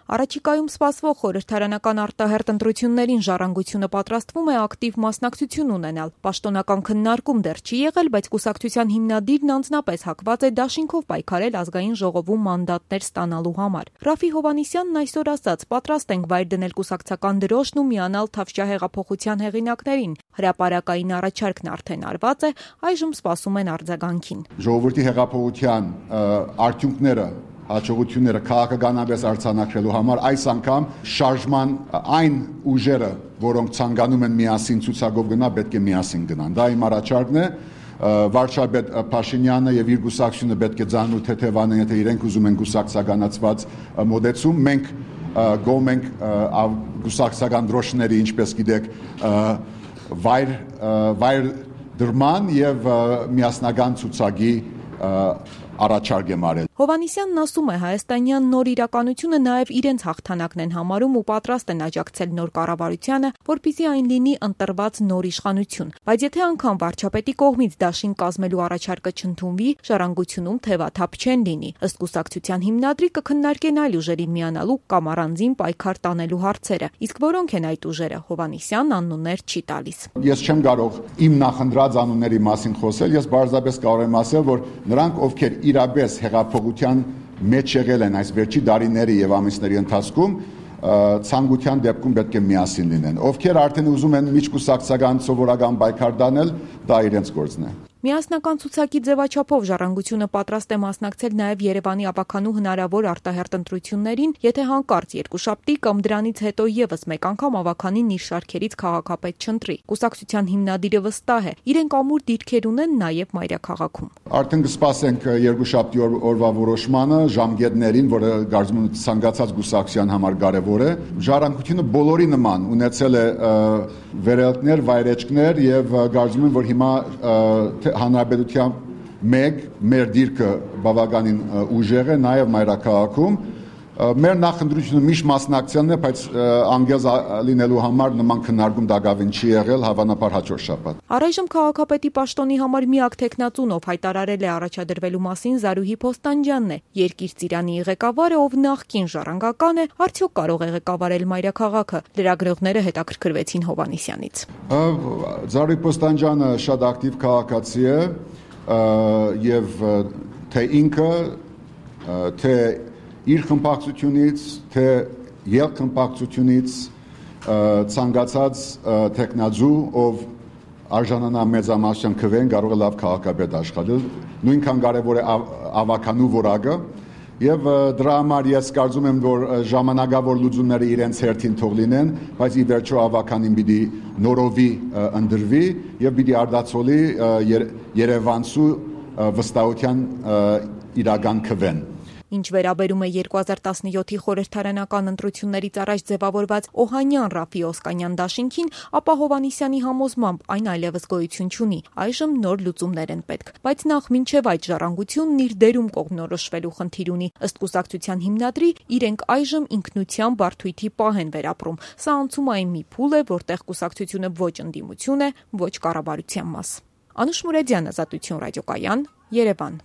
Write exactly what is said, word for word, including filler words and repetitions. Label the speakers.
Speaker 1: Առաջիկայում սպասվող խորհրդարանական արտահերթ ընտրություններին Ժառանգությունը պատրաստվում է ակտիվ մասնակցություն ունենալ։ Պաշտոնական քննարկում դեռ չի եղել, բայց կուսակցության հիմնադիրն անձնապես հակված է դաշինքով պայքարել ազգային ժողովում մանդատներ ստանալու համար։ Ռաֆի Հովհաննիսյանն այսօր ասաց. «Պատրաստ ենք վայր դնել կուսակցական դրոշն ու միանալ Թավշյա հեղինակներին։ Հրապարակային առաջարկն արդեն արված է, այժմ սպասում են արձագանքին»։
Speaker 2: Ժողովրդի հեղափոխության արդյունքները, հաջողությունները քաղաքականապես արձանագրելու համար այս անգամ շարժման այն ուժերը, որոնք ցանկանում են միասին ցուցակով գնալ, պետք է միասին գնան։ Դա իմ առաջարկն է։ Վարչապետ Փաշինյանը եւ իր գուսակցությունը պետք է ձանու թեթևանեն, եթե իրենք ուզում են գուսակցականացված մոդեցում։ Մենք գոհ ենք գուսակցական դրոշների, ինչպես գիտեք, վայր վայր դրման եւ միասնական ցուցակի առաջարկ եմ արել։
Speaker 1: Հովհաննիսյանն ասում է, հայաստանյան նոր իրականությունը նաև իրենց հաղթանակն են համարում ու պատրաստ են աջակցել նոր կառավարությանը, որպեսզի այն լինի ընտրված նոր իշխանություն։ Բայց եթե անգամ վարչապետի կողմից դաշին կազմելու առաջարկը չընդունվի, Ժառանգությունում թևաթափ չեն լինի։ Ըստ կուսակցության հիմնադրի կքննարկեն այլ ուժերին միանալու կամ առանձին պայքար տանելու հարցերը։ Իսկ որոնք են այդ ուժերը, Հովհաննիսյանն անուններ չի տալիս։
Speaker 2: Ես չեմ կարող իմ նախընտրած անունների մասին խոսել, ես բարձրապես կարող եմ ասել, որ նրանք, ովքեր իրապես հեղափոխության մեջ եղել են այս վերջի տարիների եւ ամիսների ընթացքում, ցանկության դեպքում պետք է միասին լինեն։ Ովքեր արդեն ուզում են միջկուսակցական սովորական պայքար տանել, դա իրենց գործն է։
Speaker 1: Միասնական ցուցակի ձևաչափով Ժառանգությունը պատրաստ է մասնակցել նաև Երևանի ավականու հնարավոր արտահերթ ընտրություններին, եթե հանկարծ երկուշաբթի կամ դրանից հետո եւս մեկ անգամ ավականին իր շարքերից քաղաքապետ չընտրի։ Կուսակցության հիմնադիրը վստահ է, իրենք ամուր դիրքեր ունեն նաև մայրաքաղաքում։
Speaker 2: Արդեն կսպասենք երկուշաբթի օրվա որոշմանը, ժամկետներին, որը կարծում եմ ցանկացած գուսակցության համար կարևոր է։ Ժառանգությունը բոլորի նման ունեցել է վերելքներ, վայրեջքներ եւ կարծում եմ, որ հիմա հանրապետության մեկ մեր դիրքը բավականին ուժեղ է նաև մայրաքաղաքում։ Մեր նախընտրությունը միշտ մասնակցելն է, բայց անգեզ լինելու համար նման քննարկում դակավին չի եղել, հավանաբար հաջորդ շաբաթ։
Speaker 1: Առայժմ քաղաքապետի պաշտոնի համար միակ թեկնածուն, ով հայտարարել է առաջադրվելու մասին, Զարուհի Փոստանջյանն է։ Երկիր ծիրանի ղեկավարը, ով նախկին ժառանգական է, արդյոք կարող է ղեկավարել մայրաքաղաքը։ Լրագրողները հետաքրքրվեցին Հովհաննիսյանից։
Speaker 2: Զարուհի Փոստանջյանը շատ ակտիվ քաղաքացի է եւ թե ինքը, թե իր խմբակցությունից, թե ելքխմբակցությունից ցանկացած տեխնազու, ով արժանանա մեծամասնության քվեն, կարող է լավ քաղաքապետ աշխատել, նույնքան կարևոր է ավականու որակը, եւ դրա համար ես կարծում եմ, որ ժամանակավոր լուծումները իրենց հերթին թող լինեն, բայց ի վերջո ավականին պիտի նորովի ընդրվի եւ պիտի արդացոլի Երևանցու վստահության իրական քվեն։
Speaker 1: Ինչ վերաբերում է երկու հազար տասնյոթի խորհրդարանական ընտրություններից առաջ ձևավորված Օհանյան-Ռաֆի Օսկանյան դաշինքին, ապա Հովհաննիսյանի համոզմամբ այն այլևս գոյություն չունի։ Այժմ նոր լուծումներ են պետք, բայց նախ մինչև այդ Ժառանգությունն իր դերում կողմնորոշվելու խնդիր ունի։ Ըստ կուսակցության հիմնադրի, իրենք այժմ ինքնության բարդույթի պահ են վերապրում։ Սա անցումային մի փուլ է, որտեղ կուսակցությունը ոչ ընդդիմություն է, ոչ կառավարության մաս։ Անուշ Մուրեդյան, Ազատություն ռադիոկայան, Երևան։